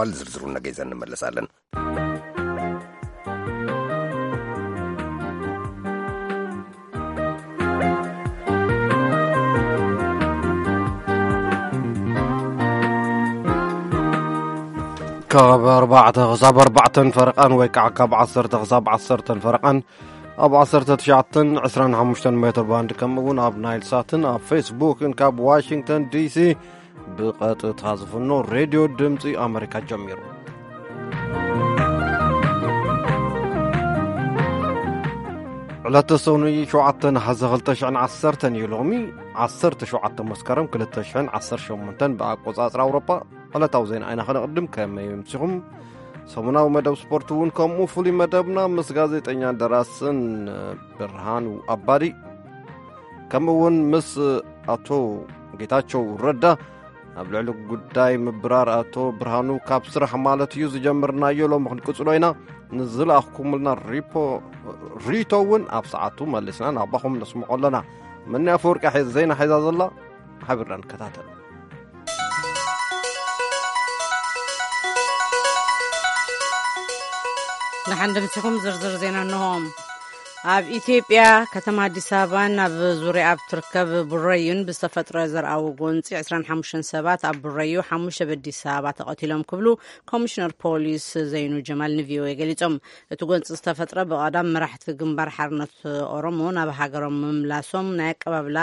ኣል ዝርዝሩ ነገ ይዘን እንመለሳለን። ካብ ኣርባዕተ ክሳብ ኣርባዕተን ፈረቓን ወይ ከዓ ካብ ዓሰርተ ክሳብ ዓሰርተን ፈረቓን ኣብ ዓሰርተ ትሽዓተን ዕስራን ሓሙሽተን ሜትር ባንድ፣ ከምኡ እውን ኣብ ናይል ሳትን ኣብ ፌስቡክን ካብ ዋሽንግተን ዲሲ ብቐጥታ ዝፍኖ ሬድዮ ድምፂ ኣመሪካ ጀሚሩ። ዕለተ ሰኑይ ሸውዓተ ነሓሰ ክልተ ሽሕን ዓሰርተን እዩ። ሎሚ ዓሰርተ ሸውዓተ መስከረም ክልተ ሽሕን ዓሰርተ ሸሞንተን ብኣቆጻጽራ ኣውሮጳ። ዕለታዊ ዜና ኣይና ከነቕድም። ከመይ ምሲኹም? ሰሙናዊ መደብ ስፖርት እውን ከምኡ ፍሉይ መደብና ምስ ጋዜጠኛን ደራስን ብርሃኑ ኣባዲ፣ ከምኡ እውን ምስ ኣቶ ጌታቸው ረዳ ኣብ ልዕሊ ጉዳይ ምብራር ኣቶ ብርሃኑ ካብ ስራሕ ማለት እዩ ዝጀምርናዮ ሎሚ ክንቅጽሎ ኢና። ንዝለኣኽኩምልና ሪፖ-፣ ሪቶ እውን ኣብ ሰዓቱ መሊስና ናባኹም ነስምዖ ኣለና። መኒ ኣፈወርቂ ሐ-፣ ዜና ሒዛ ዘላ ሓቢርና ንከታተል። ደሓን ድምፅኹም ዝርዝር ዜና እንሆም። ኣብ ኢትዮጵያ ከተማ ኣዲስ ኣበባን ኣብ ዙሪያ ኣብ ትርከብ ቡረዩን ብዝተፈጥረ ዘርኣዊ ጎንፂ ዕስራን ሓሙሽተን ሰባት ኣብ ቡረዩ፣ ሓሙሽተ ኣብ ኣዲስ ኣበባ ተቐቲሎም ክብሉ ኮሚሽነር ፖሊስ ዘይኑ ጀማል ንቪኦኤ ገሊፆም። እቲ ጎንፂ ዝተፈጥረ ብቐዳም መራሕቲ ግንባር ሓርነት ኦሮሞ ናብ ሃገሮም ምምላሶም ናይ ኣቀባብላ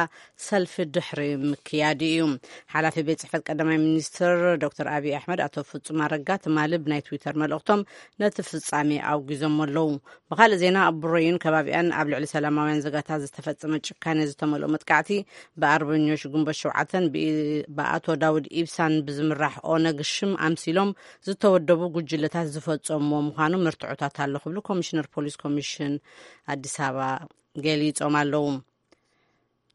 ሰልፊ ድሕሪ ምክያዱ እዩ። ሓላፊ ቤት ጽሕፈት ቀዳማይ ሚኒስትር ዶክተር ኣብይ ኣሕመድ ኣቶ ፍጹም ኣረጋ ትማሊ ብናይ ትዊተር መልእኽቶም ነቲ ፍጻሜ ኣውጊዞም ኣለዉ። ብኻልእ ዜና፣ ኣብ ቡረዩን ከባቢኣን ኣብ ልዕሊ ሰላማውያን ዜጋታት ዝተፈጸመ ጭካኔ ዝተመልኦ መጥቃዕቲ ብኣርበኞች ግንቦት ሸውዓተን ብኢ-፣ ብኣቶ ዳውድ ኢብሳን ብዝምራሕ ኦነግ ሽም ኣምሲሎም ዝተወደቡ ጉጅለታት ዝፈጸምዎ ምዃኑ መርትዖታት ኣሎ ክብሉ ኮሚሽነር ፖሊስ ኮሚሽን ኣዲስ ኣበባ ገሊጾም ኣለዉ።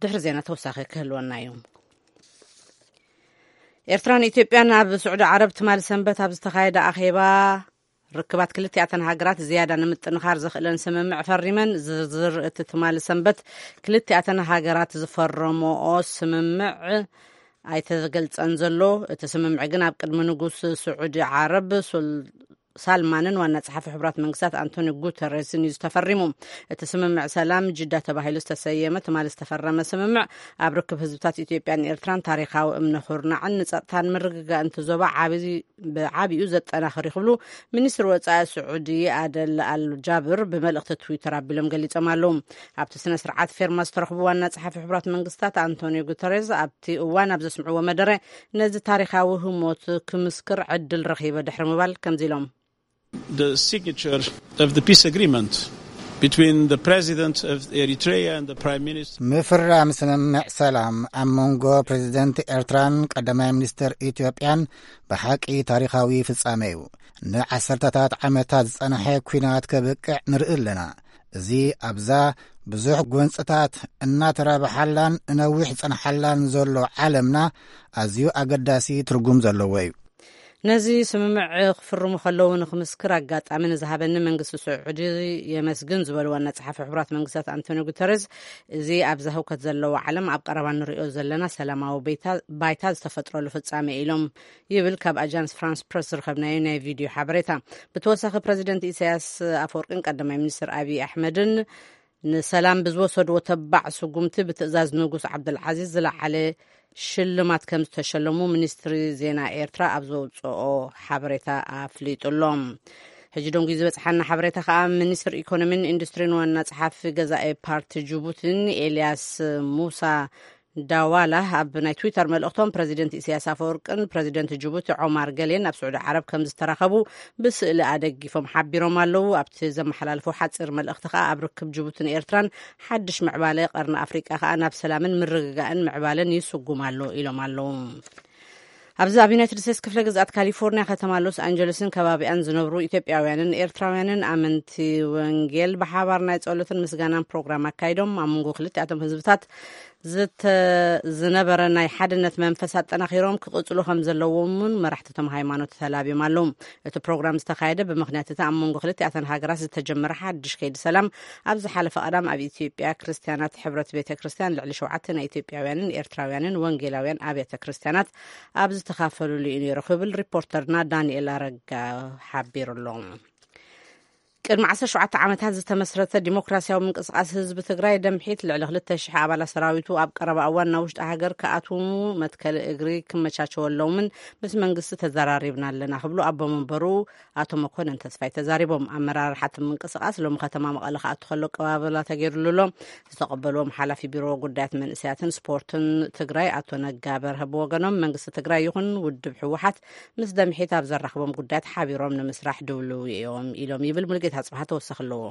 ድሕሪ ዜና ተወሳኺ ክህልወና እዩ። ኤርትራን ኢትዮጵያን ኣብ ስዑዲ ዓረብ ትማሊ ሰንበት ኣብ ዝተኻየደ ኣኼባ ርክባት ክልቲኣተን ሃገራት ዝያዳ ንምጥንኻር ዘኽእለን ስምምዕ ፈሪመን። ዝርዝር እቲ ትማሊ ሰንበት ክልቲኣተን ሃገራት ዝፈረመኦ ስምምዕ ኣይተገልጸን ዘሎ። እቲ ስምምዕ ግን ኣብ ቅድሚ ንጉስ ስዑዲ ዓረብ ሱል-፣ ሳልማንን ዋና ጸሓፊ ሕቡራት መንግስታት ኣንቶኒ ጉተረስን እዩ ዝተፈሪሙ። እቲ ስምምዕ ሰላም ጅዳ ተባሂሉ ዝተሰየመ ትማሊ ዝተፈረመ ስምምዕ ኣብ ርክብ ህዝብታት ኢትዮጵያን ኤርትራን ታሪኻዊ እምነ ኩርናዕን ንጸጥታን ምርግጋእን እቲ ዞባ ዓቢ-፣ ብዓቢኡ ዘጠናኽር እዩ ክብሉ ሚኒስትሪ ወጻኢ ስዑዲ ኣደል ኣል ጃብር ብመልእኽቲ ትዊተር ኣቢሎም ገሊጾም ኣለዉ። ኣብቲ ስነ ስርዓት ፌርማ ዝተረኽቡ ዋና ጸሓፊ ሕቡራት መንግስታት ኣንቶኒዮ ጉተሬዝ ኣብቲ እዋን ኣብ ዘስምዕዎ መደረ፣ ነዚ ታሪኻዊ ህሞት ክምስክር ዕድል ረኺበ ድሕሪ ምባል ከምዚ ኢሎም። The signature of the peace agreement between the president of Eritrea and the prime minister. ምፍራም ስምምዕ ሰላም ኣብ መንጎ ፕሬዚደንት ኤርትራን ቀዳማይ ሚኒስትር ኢትዮጵያን ብሓቂ ታሪኻዊ ፍጻሜ እዩ። ንዓሰርተታት ዓመታት ዝጸንሐ ኲናት ከብቅዕ ንርኢ ኣለና። እዚ ኣብዛ ብዙሕ ጎንጽታት እናተራብሓላን ነዊሕ ዝጸንሓላን ዘሎ ዓለምና ኣዝዩ ኣገዳሲ ትርጉም ዘለዎ እዩ። ነዚ ስምምዕ ክፍርሙ ከለዉ ንክምስክር ኣጋጣሚ ንዝሃበኒ መንግስቲ ስዑዲ የመስግን ዝበሉ ዋና ጸሓፊ ሕቡራት መንግስታት ኣንቶኒዮ ጉተረዝ፣ እዚ ኣብዛ ህውከት ዘለዎ ዓለም ኣብ ቀረባ ንሪኦ ዘለና ሰላማዊ ቤታ-፣ ባይታ ዝተፈጥረሉ ፍጻሜ ኢሎም ይብል ካብ ኣጃንስ ፍራንስ ፕረስ ዝረኸብናዮ ናይ ቪድዮ ሓበሬታ። ብተወሳኺ ፕረዚደንት ኢሳያስ ኣፈወርቅን ቀዳማይ ሚኒስትር ኣብይ ኣሕመድን ንሰላም ብዝወሰድዎ ተባዕ ስጉምቲ ብትእዛዝ ንጉስ ዓብደልዓዚዝ ዝለዓለ ሽልማት ከም ዝተሸለሙ ሚኒስትሪ ዜና ኤርትራ ኣብ ዘውፅኦ ሓበሬታ ኣፍሊጡ ኣሎ። ሕጂ ደንጉዩ ዝበፅሓና ሓበሬታ ከዓ ሚኒስትር ኢኮኖሚን ኢንዱስትሪን ዋና ጸሓፊ ገዛኢ ፓርቲ ጅቡቲን ኤልያስ ሙሳ ዳዋላ ኣብ ናይ ትዊተር መልእኽቶም ፕረዚደንት ኢሳያስ ኣፈወርቅን ፕረዚደንት ጅቡቲ ዖማር ገሌን ኣብ ስዑዲ ዓረብ ከም ዝተራኸቡ ብስእሊ ኣደጊፎም ሓቢሮም ኣለዉ። ኣብቲ ዘመሓላልፎ ሓፂር መልእኽቲ ከዓ ኣብ ርክብ ጅቡትን ኤርትራን ሓድሽ ምዕባለ ቀርኒ ኣፍሪቃ ከዓ ናብ ሰላምን ምርግጋእን ምዕባለን ይስጉም ኣሎ ኢሎም ኣለዉ። ኣብዚ ኣብ ዩናይትድ ስቴትስ ክፍለ ግዝኣት ካሊፎርኒያ ከተማ ሎስ ኣንጀለስን ከባቢኣን ዝነብሩ ኢትዮጵያውያንን ኤርትራውያንን ኣመንቲ ወንጌል ብሓባር ናይ ጸሎትን ምስጋናን ፕሮግራም ኣካይዶም። ኣብ መንጎ ክልቲኣቶም ህዝብታት ዝተ-፣ ዝነበረ ናይ ሓድነት መንፈስ ኣጠናኺሮም ክቕጽሉ ከም ዘለዎም እውን መራሕቲ እቶም ሃይማኖት ተላብዮም ኣለዉ። እቲ ፕሮግራም ዝተኻየደ ብምኽንያት እቲ ኣብ መንጎ ክልቲኣተን ሃገራት ዝተጀመረ ሓድሽ ከይዲ ሰላም፣ ኣብ ዝሓለፈ ቀዳም ኣብ ኢትዮጵያ ክርስትያናት ሕብረት ቤተ ክርስትያን ልዕሊ ሸውዓተ ናይ ኢትዮጵያውያንን ኤርትራውያንን ወንጌላውያን ኣብያተ ክርስትያናት ኣብ ዝተኻፈሉሉ እዩ ነይሩ ክብል ሪፖርተርና ዳንኤል ኣረጋ ሓቢሩ ኣሎ። ቅድሚ ዓሰርተ ሸውዓተ ዓመታት ዝተመስረተ ዲሞክራሲያዊ ምንቅስቃስ ህዝቢ ትግራይ ደምሒት ልዕሊ ክልተ ሽሕ ኣባላት ሰራዊቱ ኣብ ቀረባ እዋን ናብ ውሽጢ ሃገር ክኣትዉ መትከሊ እግሪ ክመቻቸወሎምን ምስ መንግስቲ ተዘራሪብና ኣለና ክብሉ ኣቦ መንበሩ ኣቶ መኮንን ተስፋይ ተዛሪቦም። ኣመራርሓ እቲ ምንቅስቃስ ሎሚ ከተማ መቐለ ክኣቱ ከሎ ኣቀባበላ ተገይሩሉ ኣሎ። ዝተቐበልዎም ሓላፊ ቢሮ ጉዳያት መንእሰያትን ስፖርትን ትግራይ ኣቶ ነጋ በርሀ ብወገኖም መንግስቲ ትግራይ ይኹን ውድብ ህወሓት ምስ ደምሒት ኣብ ዘራኽቦም ጉዳያት ሓቢሮም ንምስራሕ ድውልው እዮም ኢሎም ይብል ሙሉጌታ ኣጽብሃ ተወሳኺ ኣለዎ።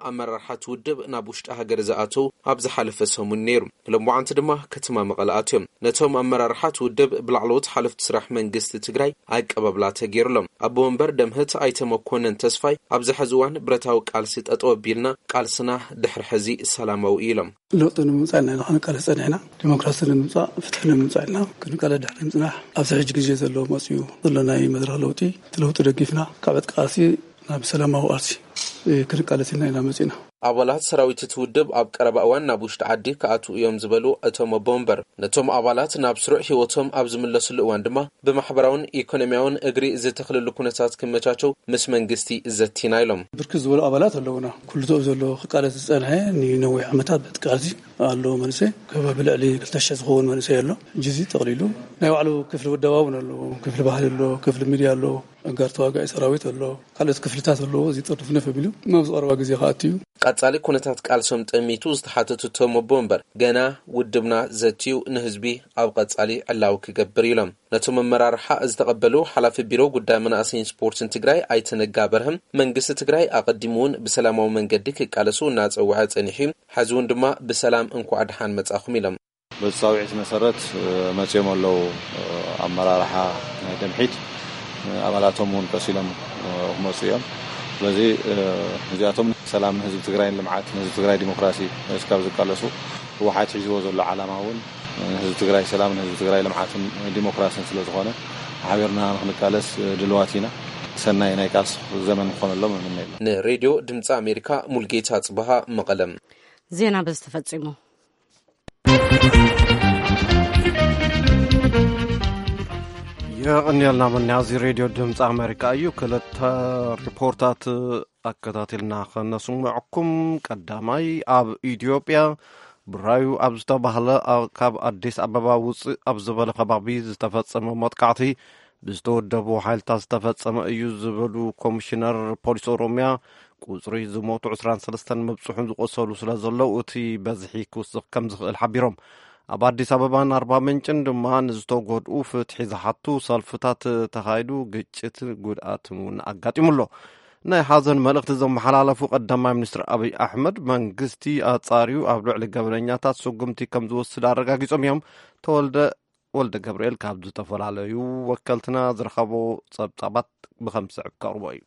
ኣመራርሓ እቲ ውድብ ናብ ውሽጢ ሃገር ዝኣተው ኣብ ዝሓለፈ ሰሙን ነይሩ። ብሎምዓንቲ ድማ ከተማ መቐለ ኣትዮም። ነቶም ኣመራርሓ እቲ ውድብ ብላዕለዎት ሓለፍቲ ስራሕ መንግስቲ ትግራይ ኣቀባብላ ተገይሩሎም። ኣቦ ወንበር ደምህት ኣይተ መኮነን ተስፋይ ኣብዚ ሕዚ እዋን ብረታዊ ቃልሲ ጠጠው ኣቢልና ቃልስና ድሕሪ ሕዚ ሰላማዊ ኢሎም። ለውጢ ንምምፃእ ኢና ክንቃለስ ፀኒሕና። ዲሞክራሲ ንምምፃእ፣ ፍትሒ ንምምፃእ ኢልና ክንቃለስ ድሕሪ ምፅናሕ ኣብዚ ሕጂ ግዜ ዘሎ መፅኡ ዘሎ ናይ መድረኽ ለውጢ፣ እቲ ለውጢ ደጊፍና ካብ ዕጥቂ ቃልሲ ናብ ሰላማዊ ቃልሲ ክንቃለስ ኢልና ኢና መፂና። ኣባላት ሰራዊት እቲ ውድብ ኣብ ቀረባ እዋን ናብ ውሽጢ ዓዲ ክኣትዉ እዮም ዝበሉ እቶም ኣቦ ወንበር፣ ነቶም ኣባላት ናብ ስሩዕ ህይወቶም ኣብ ዝምለስሉ እዋን ድማ ብማሕበራውን ኢኮኖሚያውን እግሪ ዝተኽልሉ ኩነታት ክመቻቸው ምስ መንግስቲ ዘቲና ኢሎም። ብርክት ዝበሉ ኣባላት ኣለውና። ኩሉ ቶብ ዘሎ ክቃለስ ዝጸንሐ ንነዊሕ ዓመታት ብዕጥቂ ቃልሲ ኣሎ መንእሰይ። ከባቢ ልዕሊ ክልተ ሽሕ ዝኸውን መንእሰይ ኣሎ። ሕጂ እዚ ጠቕሊሉ ናይ ባዕሉ ክፍሊ ውደባ እውን ኣለዎ። ክፍሊ ባህሊ ኣሎ፣ ክፍሊ ሚድያ ኣሎ፣ ኣጋር ተዋጋኢ ሰራዊት ኣሎ፣ ካልኦት ክፍልታት ኣለዎ። እዚ ጥርንፍንፍ ኣቢሉ ናብ ዝቐረባ ግዜ ክኣቱ እዩ። ቀጻሊ ኩነታት ቃልሶም ጠሚቱ ዝተሓተቱ እቶም ኣቦ ወንበር፣ ገና ውድብና ዘትዩ ንህዝቢ ኣብ ቀጻሊ ዕላዊ ክገብር ኢሎም። ነቶም ኣመራርሓ ዝተቐበሉ ሓላፊ ቢሮ ጉዳይ መናእሰይን ስፖርትን ትግራይ ኣይተ ነጋ በርሀም፣ መንግስቲ ትግራይ ኣቐዲሙ እውን ብሰላማዊ መንገዲ ክቃለሱ እናጸውዐ ጸኒሑ እዩ። ሕዚ እውን ድማ ብሰላም እንኳዕ ደሓን መጻኹም ኢሎም። በዚ ጻውዒት መሰረት፣ እ፣ መጺኦም ኣለዉ። እ፣ ኣመራርሓ ናይ ደምሒት፣ እ፣ ኣባላቶም እውን ቀሲሎም፣ እ፣ ክመጹ እዮም። ስለዚ፣ እ፣ እዚኣቶም ሰላም ንህዝቢ ትግራይን ልምዓት ንህዝቢ ትግራይ ዲሞክራሲ እስካብ ዝቃለሱ ህወሓት ሒዝዎ ዘሎ ዓላማ እውን ንህዝቢ ትግራይ ሰላም ንህዝቢ ትግራይ ልምዓትን ዲሞክራሲን ስለ ዝኾነ ሓቢርና ንክንቃለስ ድልዋት ኢና። ሰናይ ናይ ቃልሲ ዘመን ክኾነሎም እምነ። ንሬድዮ ድምፂ ኣሜሪካ ሙልጌታ ጽበሃ መቐለም። ዜና በዚ ተፈጺሙ። የቐንየልና መን። እዚ ሬድዮ ድምፂ ኣሜሪካ እዩ። ክልተ ሪፖርታት ኣከታቲልና ከነስምዐኩም። ቀዳማይ፣ ኣብ ኢትዮጵያ ብራዩ ኣብ ዝተባህለ፣ ኣብ፣ ካብ ኣዲስ ኣበባ ውፅእ ኣብ ዝበለ ከባቢ ዝተፈጸመ መጥቃዕቲ ብዝተወደቡ ሓይልታት ዝተፈጸመ እዩ ዝበሉ ኮሚሽነር ፖሊስ ኦሮሚያ፣ ቁጽሪ ዝሞቱ ዕስራን ሰለስተን ምብጽሑን ዝቆሰሉ ስለ ዘለዉ፣ እቲ በዝሒ ክውስኽ ከም ዝኽእል ሓቢሮም። ኣብ ኣዲስ ኣበባን ኣርባ ምንጭን ድማ ንዝተጎድኡ ፍትሒ ዝሓቱ ሰልፍታት ተኻይዱ፣ ግጭት ጉድኣትን እውን ኣጋጢሙ ኣሎ። ናይ ሓዘን መልእኽቲ ዘመሓላለፉ ቀዳማይ ሚኒስትር ኣብይ ኣሕመድ፣ መንግስቲ ኣጻርዩ ኣብ ልዕሊ ገበነኛታት ስጉምቲ ከም ዝወስድ ኣረጋጊጾም እዮም። ተወልደ ወልደ ገብርኤል ካብ ዝተፈላለዩ ወከልትና ዝረኸቦ ጸብጻባት ብኸም ዝስዕብ ከቕርቦ እዩ።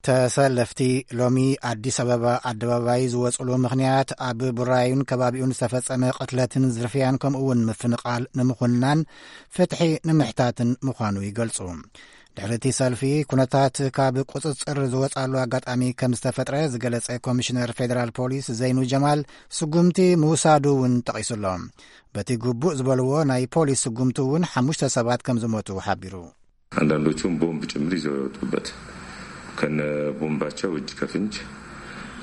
ተሰለፍቲ ሎሚ ኣዲስ ኣበባ ኣደባባይ ዝወጽሉ ምኽንያት ኣብ ቡራዩን ከባቢኡን ዝተፈጸመ ቅትለትን ዝርፍያን ከምኡ እውን ምፍንቓል ንምኹናን ፍትሒ ንምሕታትን ምዃኑ ይገልጹ። ድሕሪ እቲ ሰልፊ ኩነታት ካብ ቁጽጽር ዝወጻሉ ኣጋጣሚ ከም ዝተፈጥረ ዝገለጸ ኮሚሽነር ፌደራል ፖሊስ ዘይኑ ጀማል ስጉምቲ ምውሳዱ እውን ጠቒሱ ኣሎ። በቲ ግቡእ ዝበልዎ ናይ ፖሊስ ስጉምቲ እውን ሓሙሽተ ሰባት ከም ዝሞቱ ሓቢሩ። አንዳንዶቹም ቦምብ ጭምር ይዘው የወጡበት ከነ ቦምባቸው እጅ ከፍንጅ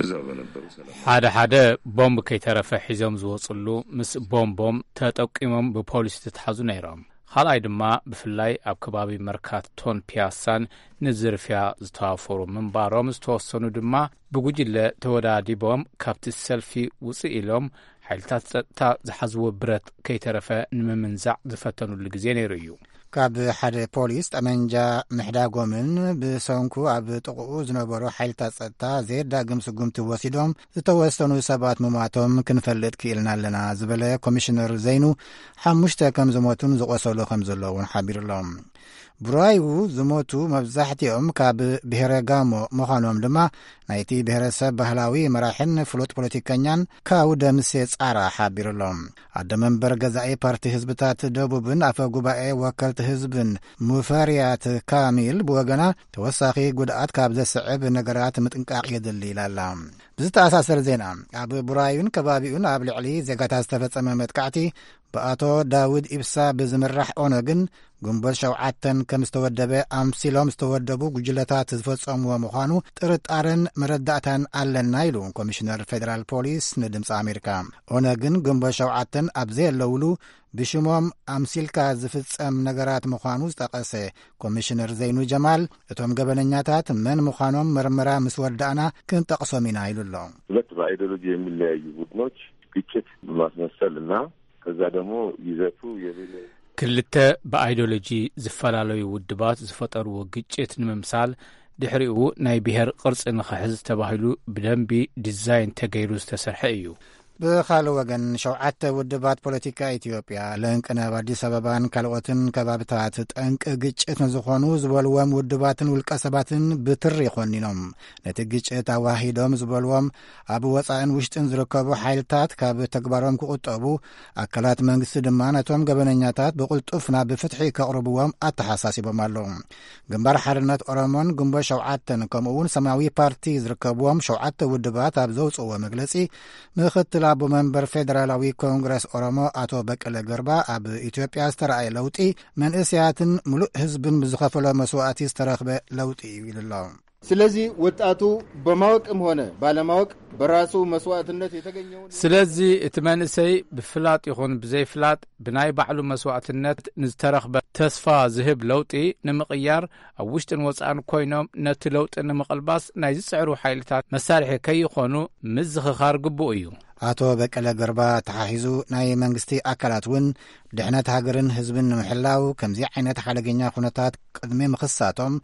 እዛው በነበሩ ሰላም ሓደ ሓደ ቦምብ ከይተረፈ ሒዞም ዝወጽሉ ምስ ቦምቦም ተጠቂሞም ብፖሊስ ዝተታሕዙ ነይሮም። ካልኣይ ድማ ብፍላይ ኣብ ከባቢ መርካቶን ፒያሳን ንዝርፍያ ዝተዋፈሩ ምንባሮም፣ ዝተወሰኑ ድማ ብጉጅለ ተወዳዲቦም ካብቲ ሰልፊ ውጽእ ኢሎም ሓይልታት ጸጥታ ዝሓዝዎ ብረት ከይተረፈ ንምምንዛዕ ዝፈተኑሉ ግዜ ነይሩ እዩ። ካብ ሓደ ፖሊስ ጠመንጃ ምሕዳጎምን ብሰንኩ ኣብ ጥቕኡ ዝነበሩ ሓይልታት ጸጥታ ዘየዳግም ስጉምቲ ወሲዶም ዝተወሰኑ ሰባት ምሟቶም ክንፈልጥ ክኢልና ኣለና ዝበለ ኮሚሽነር ዘይኑ፣ ሓሙሽተ ከም ዝሞቱን ዝቖሰሉ ከም ዘለውን ሓቢሩሎም። ብራዩ ዝሞቱ መብዛሕትኦም ካብ ብሔረ ጋሞ ምዃኖም ድማ ናይቲ ብሔረሰብ ባህላዊ መራሕን ፍሉጥ ፖለቲከኛን ካው ደምሴ ጻራ ሓቢሩሎም። ኣደ መንበር ገዛኢ ፓርቲ ህዝብታት ደቡብን ኣፈ ጉባኤ ወከልቲ ህዝብን ሙፈርያት ካሚል ብወገና፣ ተወሳኺ ጉድኣት ካብ ዘስዕብ ነገራት ምጥንቃቕ የድሊ ኢላ ኣላ። ብዝተኣሳሰር ዜና፣ ኣብ ቡራዩን ከባቢኡን ኣብ ልዕሊ ዜጋታት ዝተፈጸመ መጥቃዕቲ ብኣቶ ዳውድ ኢብሳ ብዝምራሕ ኦነግን ግንቦት ሸውዓተን ከም ዝተወደበ ኣምሲሎም ዝተወደቡ ጉጅለታት ዝፈጸምዎ ምዃኑ ጥርጣረን መረዳእታን ኣለና ኢሉ ኮሚሽነር ፌደራል ፖሊስ ንድምፂ ኣሜሪካ። ኦነግን ግንቦት ሸውዓተን ኣብ ዘየለውሉ ብሽሞም ኣምሲልካ ዝፍጸም ነገራት ምዃኑ ዝጠቐሰ ኮሚሽነር ዘይኑ ጀማል፣ እቶም ገበነኛታት መን ምዃኖም መርመራ ምስ ወዳእና ክንጠቕሶም ኢና ኢሉ ኣሎ። ሁለት በአይዲዮሎጂ የሚለያዩ ቡድኖች ግጭት ማስመሰል እና ከዛ ደግሞ ይዘቱ የሌለ ክልተ ብኣይዲዮሎጂ ዝፈላለዩ ውድባት ዝፈጠርዎ ግጭት ንምምሳል ድሕሪኡ ናይ ብሔር ቅርጺ ንኽሕዝ ተባሂሉ ብደንቢ ዲዛይን ተገይሩ ዝተሰርሐ እዩ። ብኻልእ ወገን፣ ሸውዓተ ውድባት ፖለቲካ ኢትዮጵያ፣ ለንቅነ ኣብ ኣዲስ ኣበባን ካልኦትን ከባብታት ጠንቂ ግጭት ንዝኾኑ ዝበልዎም ውድባትን ውልቀ ሰባትን ብትሪ ኮኒኖም፣ ነቲ ግጭት ኣዋሂዶም ዝበልዎም ኣብ ወጻእን ውሽጥን ዝርከቡ ሓይልታት ካብ ተግባሮም ክቑጠቡ፣ ኣካላት መንግስቲ ድማ ነቶም ገበነኛታት ብቕልጡፍ ናብ ፍትሒ ከቕርብዎም ኣተሓሳሲቦም ኣለዉ። ግንባር ሓርነት ኦሮሞን ግንቦት ሸውዓተን ከምኡ እውን ሰማያዊ ፓርቲ ዝርከብዎም ሸውዓተ ውድባት ኣብ ዘውፅእዎ መግለፂ፣ ምኽትል ኣቦ መንበር ፌደራላዊ ኮንግረስ ኦሮሞ ኣቶ በቀለ ገርባ፣ ኣብ ኢትዮጵያ ዝተረኣየ ለውጢ መንእሰያትን ምሉእ ህዝብን ብዝኸፈሎ መስዋእቲ ዝተረኽበ ለውጢ እዩ ኢሉ ኣሎ። ስለዚ ወጣቱ በማወቅም ሆነ ባለማወቅ በራሱ መስዋዕትነት የተገኘውን ስለዚ እቲ መንእሰይ ብፍላጥ ይኹን ብዘይፍላጥ ብናይ ባዕሉ መስዋዕትነት ንዝተረኽበ ተስፋ ዝህብ ለውጢ ንምቕያር ኣብ ውሽጥን ወጻእን ኮይኖም ነቲ ለውጢ ንምቕልባስ ናይ ዝጽዕሩ ሓይልታት መሳርሒ ከይኾኑ ምዝኽኻር ግቡእ እዩ። ኣቶ በቀለ ገርባ ተሓሒዙ ናይ መንግስቲ ኣካላት እውን ድሕነት ሃገርን ህዝብን ንምሕላው ከምዚ ዓይነት ሓደገኛ ኩነታት ቅድሚ ምኽሳቶም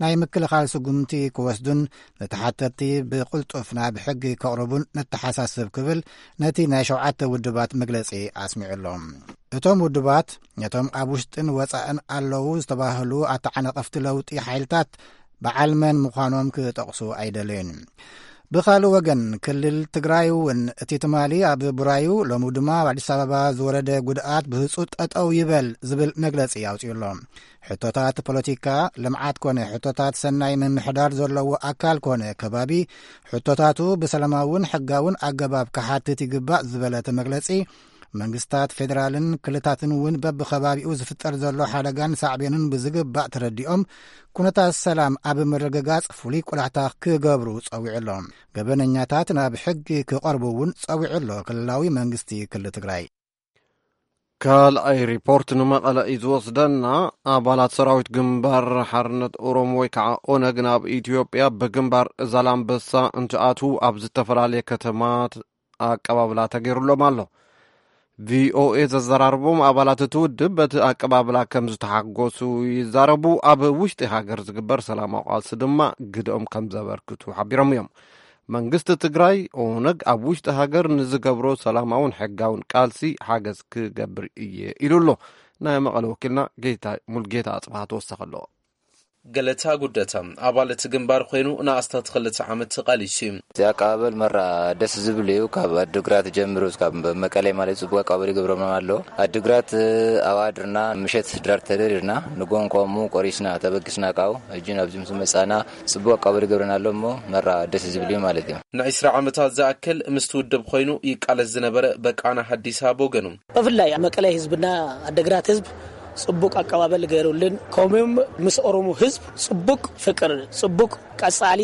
ናይ ምክልኻል ስጉምቲ ክወስዱን ንተሓተቲ ብቕልጡፍ ናብ ሕጊ ከቕርቡን ነተሓሳስብ ክብል ነቲ ናይ ሸውዓተ ውድባት መግለጺ ኣስሚዑ ኣሎ። እቶም ውድባት ነቶም ኣብ ውሽጥን ወጻእን ኣለዉ ዝተባህሉ ኣተዓናቐፍቲ ለውጢ ሓይልታት በዓል መን ምዃኖም ክጠቕሱ ኣይደለዩን። ብኻልእ ወገን ክልል ትግራይ እውን እቲ ትማሊ ኣብ ቡራዩ ሎሚ ድማ ኣብ ኣዲስ ኣበባ ዝወረደ ጉድኣት ብህፁ ጠጠው ይበል ዝብል መግለፂ ኣውፅኡ ኣሎ። ሕቶታት ፖለቲካ፣ ልምዓት ኮነ ሕቶታት ሰናይ ምምሕዳር ዘለዎ ኣካል ኮነ ከባቢ ሕቶታቱ ብሰላማውን ሕጋውን ኣገባብ ክሓትት ይግባእ ዝበለ እቲ መግለፂ፣ መንግስታት ፌደራልን ክልታትን እውን በብኸባቢኡ ዝፍጠር ዘሎ ሓደጋን ሳዕቤኑን ብዝግባእ ተረዲኦም ኩነታት ሰላም ኣብ ምርግጋፅ ፍሉይ ቆላሕታ ክገብሩ ፀዊዑ ኣሎ። ገበነኛታት ናብ ሕጊ ክቐርቡ እውን ፀዊዑ ኣሎ ክልላዊ መንግስቲ ክልል ትግራይ። ካልኣይ ሪፖርት ንመቐለ እዩ ዝወስደና። ኣባላት ሰራዊት ግንባር ሓርነት ኦሮሞ ወይ ከዓ ኦነግ ናብ ኢትዮጵያ ብግንባር ዛላምበሳ እንትኣትዉ ኣብ ዝተፈላለየ ከተማት ኣቀባብላ ተገይሩሎም ኣሎ። ቪኦኤ ዘዘራርቦም ኣባላት እቲ ውድብ በቲ ኣቀባብላ ከም ዝተሓጎሱ ይዛረቡ። ኣብ ውሽጢ ሃገር ዝግበር ሰላማዊ ቃልሲ ድማ ግደኦም ከም ዘበርክቱ ሓቢሮም እዮም። መንግስቲ ትግራይ ኦነግ ኣብ ውሽጢ ሃገር ንዝገብሮ ሰላማውን ሕጋውን ቃልሲ ሓገዝ ክገብር እየ ኢሉ ኣሎ። ናይ መቐለ ወኪልና ጌታ ሙልጌታ ኣጽብሃ ተወሰኸ ኣለዎ። ገለታ ጉደታ ኣባል እቲ ግንባር ኮይኑ ንኣስታት ክልተ ዓመት ተቓሊሱ እዩ። እዚ ኣቀባበል መራ ደስ ዝብል እዩ። ካብ ኣድግራት ጀምሩ ካብ መቀለ ማለት ጽቡቅ ኣቀባበል ይገብሮም ኣሎ። ኣድግራት ኣብኣ ድርና ምሸት ድራር ተደሪርና ንጎን ቆሙ ቆሪስና ተበግስና ቃው እጅን ኣብዚ ምስ መጻና ጽቡቅ ኣቀባበል ይገብረና ኣሎ እሞ መራ ደስ ዝብል እዩ ማለት እዩ። ንዒስራ ዓመታት ዝኣክል ምስቲ ውድብ ኮይኑ ይቃለስ ዝነበረ በቃና ሀዲሳ ብወገኑ ብፍላይ ኣብ መቀለ ህዝብና ኣድግራት ህዝብ ጽቡቅ ኣቀባበል ገይሩልን ከምኡም ምስ ኦሮሞ ህዝብ ጽቡቅ ፍቅር ጽቡቅ ቀጻሊ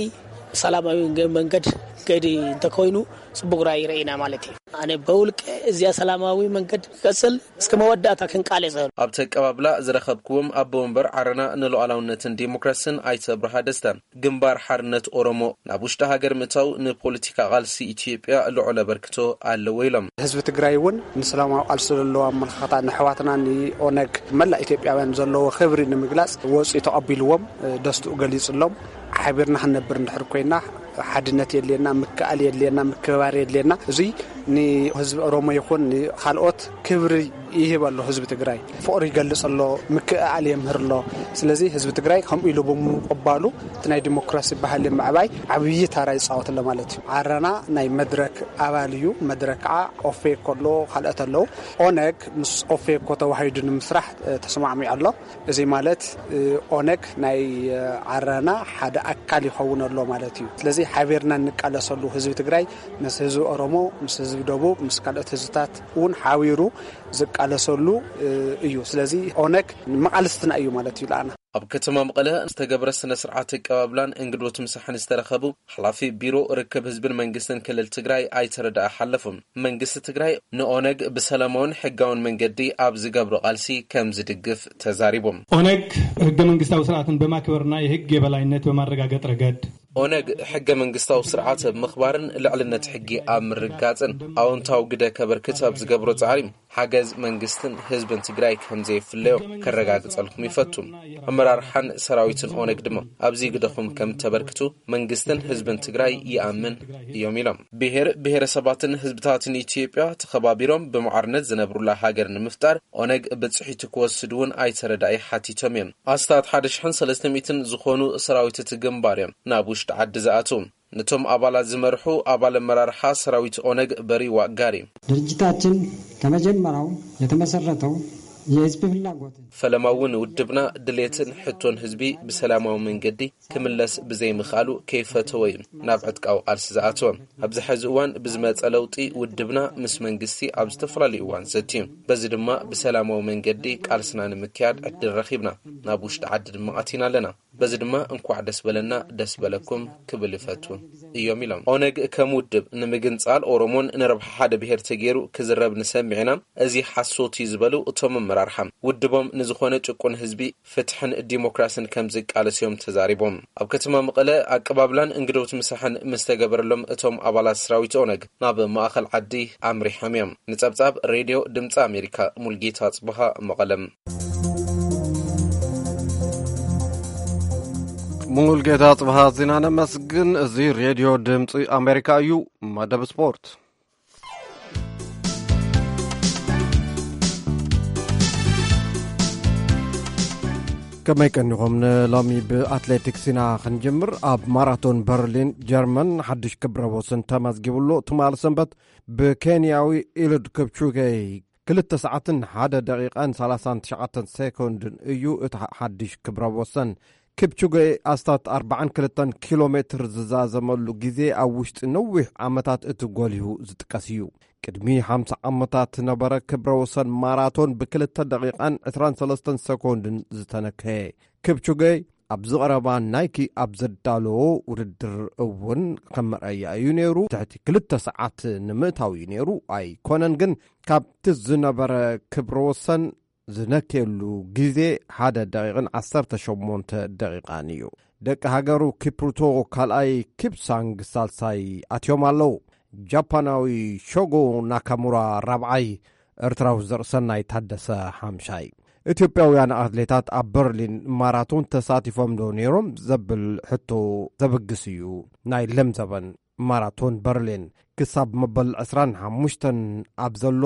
ሰላማዊ መንገድ ገዲ እንተኮይኑ ጽቡቅ ራእይ ረኢና ማለት እዩ። ኣነ በውልቀ እዚያ ሰላማዊ መንገድ ክቀጽል እስከ መወዳእታ ክንቃለስ። ኣብቲ ኣቀባብላ ዝረኸብክዎም ኣቦ ወንበር ዓረና ንሉዓላውነትን ዲሞክራስን ኣይተ ኣብርሃ ደስታ ግንባር ሓርነት ኦሮሞ ናብ ውሽጢ ሃገር ምእታው ንፖለቲካ ቃልሲ ኢትዮጵያ ልዑል ኣበርክቶ ኣለዎ ኢሎም። ህዝቢ ትግራይ እውን ንሰላማዊ ቃልሲ ዘለዎ ኣመለኻኽታ ንኣሕዋትና ንኦነግ መላእ ኢትዮጵያውያን ዘለዎ ክብሪ ንምግላፅ ወፂኡ ተቐቢልዎም ደስትኡ ገሊፅሎም። ሓቢርና ክንነብር እንድሕር ኮይና ሓድነት የድልየና፣ ምክእኣል የድልየና፣ ምክብባር የድልየና። እዙይ ንህዝቢ ኦሮሞ ይኹን ንካልኦት ክብሪ ይህብ ኣሎ። ህዝቢ ትግራይ ፍቕሪ ይገልጽ ኣሎ፣ ምክእኣል የምህር ኣሎ። ስለዚ ህዝቢ ትግራይ ከምኡ ኢሉ ብምቕባሉ እቲ ናይ ዲሞክራሲ ባህሊ ምዕባይ ዓብዪ ታራ ይጻወት ኣሎ ማለት እዩ። ዓረና ናይ መድረክ ኣባል እዩ። መድረክ ከዓ ኦፌኮ ኣሎ፣ ካልኦት ኣለዉ። ኦነግ ምስ ኦፌኮ ተዋሂዱ ንምስራሕ ተስማዕሚዑ ኣሎ። እዚ ማለት ኦነግ ናይ ዓረና ሓደ ኣካል ይኸውን ኣሎ ማለት እዩ። ስለዚ ሓቢርና እንቃለሰሉ፣ ህዝቢ ትግራይ ምስ ህዝቢ ኦሮሞ፣ ምስ ህዝቢ ደቡብ፣ ምስ ካልኦት ህዝብታት እውን ሓቢሩ ዝቃለሰሉ እዩ። ስለዚ ኦነግ መቓልስትና እዩ ማለት እዩ። ለኣና ኣብ ከተማ መቐለ ዝተገብረ ስነ ስርዓት ኣቀባብላን እንግዶት ምሳሕን ዝተረኸቡ ሓላፊ ቢሮ ርክብ ህዝብን መንግስትን ክልል ትግራይ ኣይተረዳኣ ሓለፉም። መንግስቲ ትግራይ ንኦነግ ብሰላማውን ሕጋውን መንገዲ ኣብ ዝገብሮ ቃልሲ ከም ዝድግፍ ተዛሪቦም። ኦነግ ህገ መንግስታዊ ስርዓትን በማክበርና የህግ የበላይነት በማረጋገጥ ረገድ ኦነግ ሕገ መንግስታዊ ስርዓት ኣብ ምኽባርን ልዕልነት ሕጊ ኣብ ምርጋፅን ኣዎንታዊ ግደ ከበርክት ኣብ ዝገብሮ ፃዕሪ ሓገዝ መንግስትን ህዝብን ትግራይ ከም ዘይፍለዮ ከረጋግፀልኩም ይፈቱ። ኣመራርሓን ሰራዊትን ኦነግ ድማ ኣብዚ ግደኹም ከም ተበርክቱ መንግስትን ህዝብን ትግራይ ይኣምን እዮም ኢሎም። ብሔር ብሔረሰባትን ህዝብታትን ኢትዮጵያ ተኸባቢሮም ብማዕርነት ዝነብሩላ ሃገር ንምፍጣር ኦነግ ብፅሒቱ ክወስድ እውን ኣይተረዳኢ ሓቲቶም እዮም። ኣስታት ሓደ ሽሕን ሰለስተ ሚእትን ዝኾኑ ሰራዊት እቲ ግንባር እዮም ናብ ውሽጢ ዓዲ ዝኣትዉ። ነቶም ኣባላት ዝመርሑ ኣባል ኣመራርሓ ሰራዊት ኦነግ በሪ ዋጋሪ ድርጅታችን ከመጀመሪያው የተመሰረተው የህዝብ ፍላጎትን ፈለማ እውን ውድብና ድሌትን ሕቶን ህዝቢ ብሰላማዊ መንገዲ ክምለስ ብዘይምኽኣሉ ከይፈተወ እዩ ናብ ዕጥቃዊ ቃልሲ ዝኣተወ። ኣብዚ ሕዚ እዋን ብዝመፀ ለውጢ ውድብና ምስ መንግስቲ ኣብ ዝተፈላለዩ እዋን ዘትዩ። በዚ ድማ ብሰላማዊ መንገዲ ቃልስና ንምክያድ ዕድል ረኺብና ናብ ውሽጢ ዓዲ ድማ ኣቲና ኣለና። በዚ ድማ እንኳዕ ደስ በለና ደስ በለኩም ክብል ይፈቱ እዮም ኢሎም። ኦነግ ከም ውድብ ንምግንፃል ኦሮሞን ንረብሓ ሓደ ብሄር ተገይሩ ክዝረብ ንሰምዕ ኢና፣ እዚ ሓሶት እዩ ዝበሉ እቶም ኣመራርሓ ውድቦም ንዝኾነ ጭቁን ህዝቢ ፍትሕን ዲሞክራስን ከም ዝቃለስ እዮም ተዛሪቦም። ኣብ ከተማ መቐለ ኣቀባብላን እንግዶት ምሳሕን ምስ ተገበረሎም እቶም ኣባላት ሰራዊት ኦነግ ናብ ማእኸል ዓዲ ኣምሪሖም እዮም። ንፀብፃብ ሬድዮ ድምፂ ኣሜሪካ ሙልጌታ ጽቡሃ መቐለም። ሙሉጌታ ጽብሃ ዜና ነመስግን። እዚ ሬድዮ ድምፂ ኣሜሪካ እዩ። መደብ ስፖርት። ከመይ ቀኒኹም? ንሎሚ ብኣትሌቲክስ ኢና ክንጅምር። ኣብ ማራቶን በርሊን ጀርመን ሓድሽ ክብረ ወሰን ተመዝጊቡሉ። ትማል ሰንበት ብኬንያዊ ኢሉድ ክፕቹጌ ክልተ ሰዓትን ሓደ ደቂቓን ሰላሳን ትሽዓተን ሴኮንድን እዩ እቲ ሓድሽ ክብረ ወሰን። ክፕቹጌ ኣስታት ኣርባዓን ክልተን ኪሎ ሜትር ዝዛዘመሉ ግዜ ኣብ ውሽጢ ነዊሕ ዓመታት እቲ ጎሊሁ ዝጥቀስ እዩ። ቅድሚ ሓምሳ ዓመታት ነበረ ክብረ ወሰን ማራቶን ብክልተ ደቂቓን ዕስራን ሰለስተን ሰኮንድን ዝተነከየ። ክፕቹጌ ኣብዚ ቀረባ ናይኪ ኣብ ዘዳለዎ ውድድር እውን ከም መርኣያ እዩ ነይሩ። ትሕቲ ክልተ ሰዓት ንምእታው እዩ ነይሩ። ኣይኮነን ግን ካብቲ ዝነበረ ክብረ ወሰን ዝነክየሉ ግዜ ሓደ ደቂቕን ዓሰርተ ሸሞንተ ደቂቓን እዩ። ደቂ ሃገሩ ኪፕሩቶ ካልኣይ፣ ኪፕሳንግ ሳልሳይ ኣትዮም ኣለዉ። ጃፓናዊ ሾጎ ናካሙራ ራብዓይ፣ ኤርትራዊ ዘርእሰናይ ታደሰ ሓምሻይ። ኢትዮጵያውያን ኣትሌታት ኣብ በርሊን ማራቶን ተሳቲፎም ዶ ነይሮም ዘብል ሕቶ ዘብግስ እዩ። ናይ ለምዘበን ማራቶን በርሊን ክሳብ መበል ዕስራን ሓሙሽተን ኣብ ዘሎ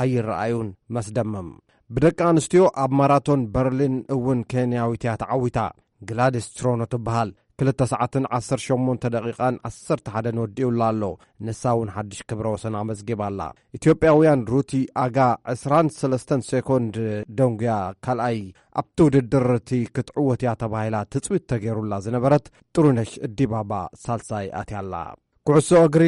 ኣይረኣዩን። መስደመም። ብደቂ ኣንስትዮ ኣብ ማራቶን በርሊን እውን ኬንያዊት እያ ተዓዊታ። ግላዲስ ትሮኖ ትበሃል። ክልተ ሰዓትን ዓሰርተ ሸሞንተ ደቂቓን ዓሰርተ ሓደን ወዲኡላ ኣሎ። ንሳ እውን ሓድሽ ክብረ ወሰን ኣመዝጊባ ኣላ። ኢትዮጵያውያን ሩቲ ኣጋ ዕስራን ሰለስተን ሴኮንድ ደንጉያ ካልኣይ ኣብቲ ውድድር እቲ ክትዕወት እያ ተባሂላ ትፅቢት ተገይሩላ ዝነበረት ጥሩነሽ ዲባባ ሳልሳይ ኣትያ ኣላ። ኩዕሶ እግሪ።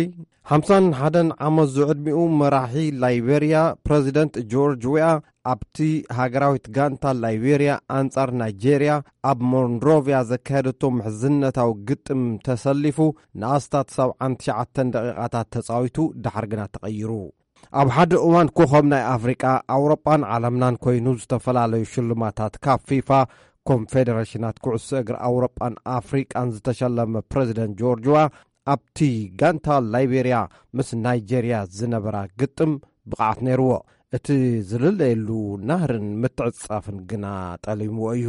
ሓምሳን ሓደን ዓመት ዝዕድሚኡ መራሒ ላይቤርያ ፕረዚደንት ጆርጅ ዊኣ ኣብቲ ሃገራዊት ጋንታ ላይቤርያ ኣንጻር ናይጄርያ ኣብ ሞንሮቪያ ዘካየደቶ ምሕዝነታዊ ግጥም ተሰሊፉ ንኣስታት ሰብዓን ትሽዓተን ደቂቓታት ተጻዊቱ ድሓር ግና ተቐይሩ። ኣብ ሓደ እዋን ኮኸብ ናይ ኣፍሪቃ፣ ኣውሮጳን ዓለምናን ኮይኑ ዝተፈላለዩ ሽልማታት ካብ ፊፋ፣ ኮንፌደሬሽናት ኩዕሶ እግሪ ኣውሮጳን ኣፍሪቃን ዝተሸለመ ፕረዚደንት ጆርጅ ዊኣ ኣብቲ ጋንታ ላይቤርያ ምስ ናይጄርያ ዝነበራ ግጥም ብቕዓት ነይርዎ። እቲ ዝልለየሉ ናህርን ምትዕጻፍን ግና ጠሊምዎ እዩ።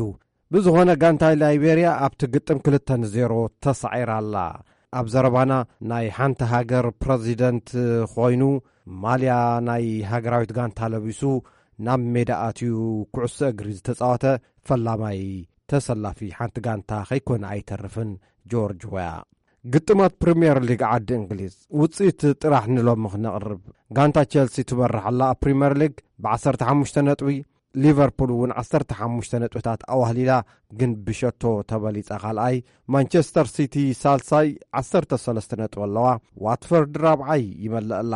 ብዝኾነ ጋንታ ላይቤርያ ኣብቲ ግጥም ክልተ ንዜሮ ተሳዒራ ኣላ። ኣብ ዘረባና ናይ ሓንቲ ሃገር ፕረዚደንት ኮይኑ ማልያ ናይ ሃገራዊት ጋንታ ለቢሱ ናብ ሜዳ ኣትዩ ኩዕሶ እግሪ ዝተጻወተ ፈላማይ ተሰላፊ ሓንቲ ጋንታ ከይኮነ ኣይተርፍን። ጆርጅ ወያ። ግጥማት ፕሪምየር ሊግ ዓዲ እንግሊዝ ውጽኢት ጥራሕ ንሎሚ ክነቕርብ። ጋንታ ቸልሲ ትመርሕ ኣላ ኣብ ፕሪምየር ሊግ ብ15 ነጥቢ፣ ሊቨርፑል እውን 15 ነጥብታት ኣዋህሊላ፣ ግን ብሸቶ ተበሊጻ ካልኣይ። ማንቸስተር ሲቲ ሳልሳይ 13 ነጥቢ ኣለዋ። ዋትፈርድ ራብዓይ ይመልእ ኣላ።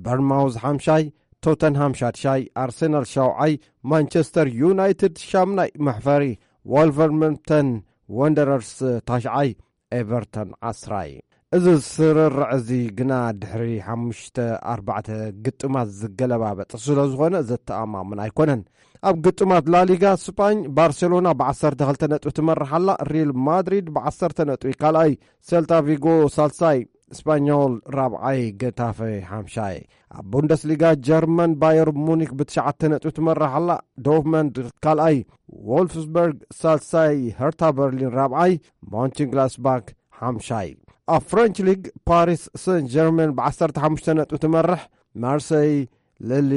በርንማውዝ ሓምሻይ፣ ቶተንሃም ሻድሻይ፣ ኣርሰናል ሻውዓይ፣ ማንቸስተር ዩናይትድ ሻምናይ መሕፈሪ፣ ወልቨርመምተን ወንደረርስ ታሽዓይ፣ ኤቨርተን ዓስራይ። እዚ ስርርዕ እዚ ግና ድሕሪ ሓሙሽተ ኣርባዕተ ግጥማት ዝገለባበጥ ስለ ዝኾነ ዘተኣማምን ኣይኮነን። ኣብ ግጥማት ላሊጋ ስጳኝ ባርሴሎና ብ12 ነጥቢ ትመርሕ ኣላ። ሪል ማድሪድ ብ10 ነጥቢ ካልኣይ፣ ሴልታ ቪጎ ሳልሳይ፣ ስፓኞል ራብዓይ፣ ገታፈ ሓምሻይ። ኣብ ቡንደስሊጋ ጀርመን ባየር ሙኒክ ብትሽዓተ ነጥቢ ትመርሕ ኣላ። ዶርትመንድ ካልኣይ፣ ዎልፍስበርግ ሳልሳይ፣ ሄርታ በርሊን ራብዓይ፣ ሞንችንግላስባክ ሓምሻይ። ኣብ ፍረንች ሊግ ፓሪስ ሰን ጀርመን ብ15 ነጥቢ ትመርሕ፣ ማርሰይ ልሊ